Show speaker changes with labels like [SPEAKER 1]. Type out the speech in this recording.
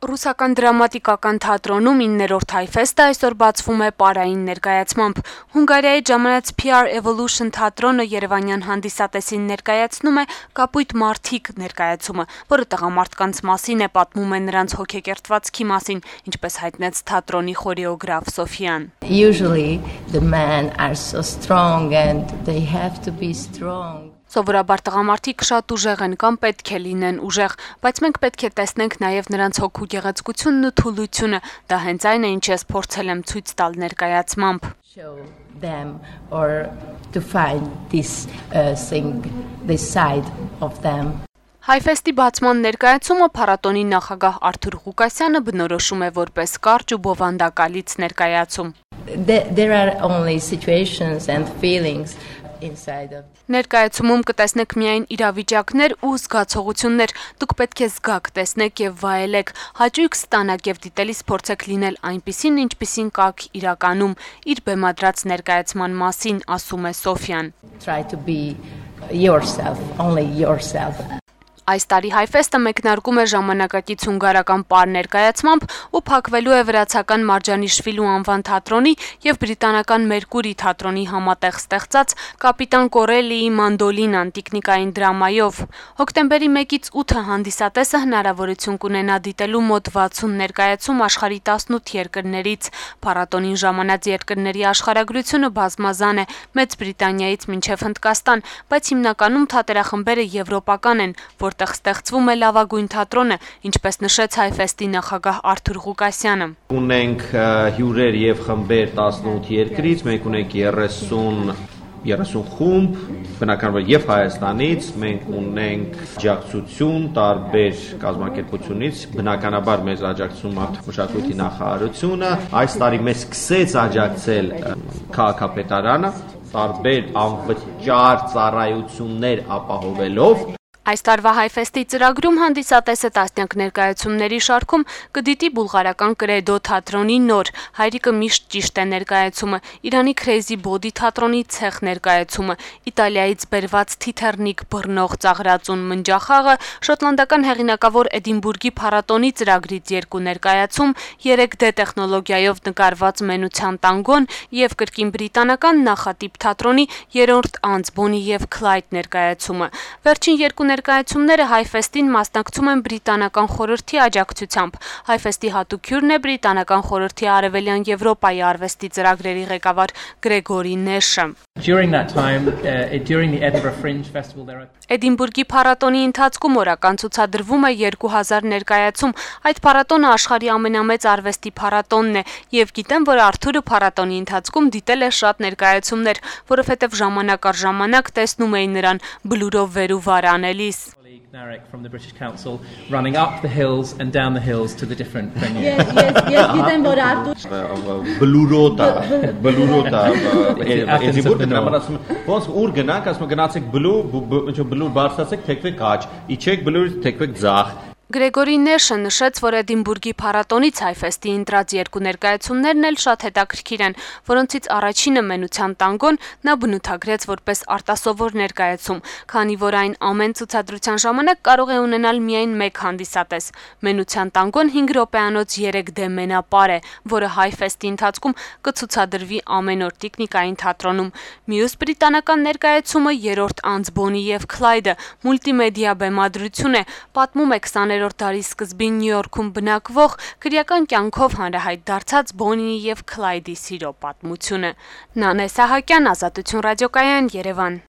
[SPEAKER 1] Ռուսական դրամատիկական թատրոնում 9-րդ հայֆեստը այսօր բացվում է պարային ներկայացմամբ։ Հունգարիայի ժամանած PR Evolution թատրոնը երևանյան հանդիսատեսին ներկայացնում է «Կապույտ մարդիկ» ներկայացումը, որը տղամարդկանց մասին է, պատմում է նրանց հոգեկերտվածքի մասին, ինչպես հայտնեց թատրոնի խորեոգրաֆ Սոֆիան.
[SPEAKER 2] Usually the men are so strong and they have to be strong.
[SPEAKER 1] Սովորաբար տղամարդիկ շատ ուժեղ են կամ պետք է լինեն ուժեղ, բայց մենք պետք է տեսնենք նաև նրանց հոգու գեղեցկությունն ու թուլությունը, դա հենց այն է, ինչ ես փորձել եմ ցույց տալ ներկայացմամբ.
[SPEAKER 2] Show them or to find this thing, this side of them.
[SPEAKER 1] Հայֆեստի բացման ներկայացումը փառատոնի նախագահ Արթուր Ղուկասյանը բնորոշում է որպես կարճ ու բովանդակալից ներկայացում.
[SPEAKER 2] There are only situations and feelings inside of.
[SPEAKER 1] Ներկայացումում կտեսնեք միայն իրավիճակներ ու զգացողություններ, դուք պետք է զգաք, տեսնեք եւ վայելեք, հաճույք ստանաք եւ դիտելիս փորձեք լինել այնպիսին, ինչպիսին կաք իրականում, իր բեմադրած ներկայացման մասին ասում է Սոֆիան.
[SPEAKER 2] Try to be yourself, only yourself.
[SPEAKER 1] Այս տարի հայֆեստը մեկնարկում է ժամանակակից հունգարական պար ներկայացմամբ ու փակվելու է վրացական Մարջանիշվիլու անվան թատրոնի եւ բրիտանական Մերկուրի թատրոնի համատեղ ստեղծած Կապիտան Կորելիի մանդոլինան տիկնիկային դրամայով։ Հոկտեմբերի 1-ից 8-ը հանդիսատեսը հնարավորություն կունենա դիտելու մոտ 60 ներկայացում աշխարհի 18 երկրներից։ Փառատոնին ժամանած երկրների աշխարհագրությունը բազմազան է, Մեծ Բրիտանիայից մինչև Հնդկաստան, բայց հիմնականում թատերախմբերը եվրոպական են, որտեղ ստեղծվում է լավագույն թատրոնը, ինչպես նշեց հայֆեստի նախագահ Արթուր Ղուկասյանը.
[SPEAKER 3] Ունենք հյուրեր եւ խմբեր 18 երկրից, մենք ունենք 30 խումբ, բնականաբար եւ Հայաստանից, մենք ունենք աջակցություն տարբեր կազմակերպությունից, բնականաբար մեզ աջակցում է մշակույթի նախարարությունը, այս տարի մեզ սկսեց աջակցել քաղաքապետարանը, տարբեր անվճար ծառայություններ ապահովելով.
[SPEAKER 1] Այս տարվա հայֆեստի ծրագրում հանդիսատեսը տասնյակ ներկայացումների շարքում կդիտի բուլղարական Կրեդո թատրոնի նոր «Հայրիկը միշտ ճիշտ է» ներկայացումը, Իրանի Crazy Body թատրոնի ցեխ ներկայացումը, Իտալիայից բերված Թիթեռնիկ բռնող ծաղրածուն մնջախաղը, շոտլանդական հեղինակավոր Էդինբուրգի փառատոնի ծրագրից 2 ներկայացում, 3D տեխնոլոգիայով նկարված Մենության տանգոն եւ կրկին բրիտանական նախատիպ թատրոնի 3-րդ անձ Bonnie եւ Clyde ներկայացումը։ Վերջին 2 ներկայացումները հայֆեստին մասնակցում են բրիտանական խորհրդի աջակցությամբ։ Հայֆեստի հատուկ հյուրն է բրիտանական խորհրդի Արևելյան Եվրոպայի արվեստի ծրագրերի ղեկավար Գրեգորի Նեշը. Էդինբուրգի փառատոնի ընթացքում օրական ցուցադրվում է 2000 ներկայացում։ Այդ փառատոնը աշխարհի ամենամեծ արվեստի փառատոնն է եւ գիտեմ, որ Արթուրը փառատոնի ընթացքում դիտել է շատ ներկայացումներ, որովհետեւ ժամանակ առ ժամանակ տեսնում էին նրան բլուրով վեր ու վար անելիս.
[SPEAKER 4] Narek from the British Council running up the hills and down the hills to the different venues.
[SPEAKER 2] Yes, գիտեմ որ Արթուր
[SPEAKER 3] բլուրոդա Էդինբուրգը դրամատասում ոնց ուր գնանք, ասում գնացեք բլուր բարձրացեք, թեքվեք աջ, իջեք բլուրից թեքվեք ձախ.
[SPEAKER 1] Գրեգորի Նեշը նշեց, որ Էդինբուրգի փառատոնից հայֆեստի ընտրած 2 ներկայացումներն էլ շատ հետաքրքիր են, որոնցից առաջինը Մենության տանգոն նա բնութագրեց որպես արտասովոր ներկայացում, քանի որ այն ամեն ցուցադրության ժամանակ կարող է ունենալ միայն 1 հանդիսատես։ Մենության տանգոն 5 րոպեանոց 3D մենապար է, որը հայֆեստի ընթացքում կցուցադրվի ամեն օր տիկնիկային թատրոնում։ Մյուս բրիտանական ներկայացումը 3-րդ անձ Bonnie եւ Clyde-ը մուլտիմեդիա բեմադրություն է, պատմում է 20-րդ դարի սկզբին Նյու Յորքում բնակվող քրեական կյանքով հանրահայտ դարձած Bonnie եւ Clyde-ի սիրո պատմությունը։ Նանե Սահակյան, Ազատություն ռադիոկայան, Երևան։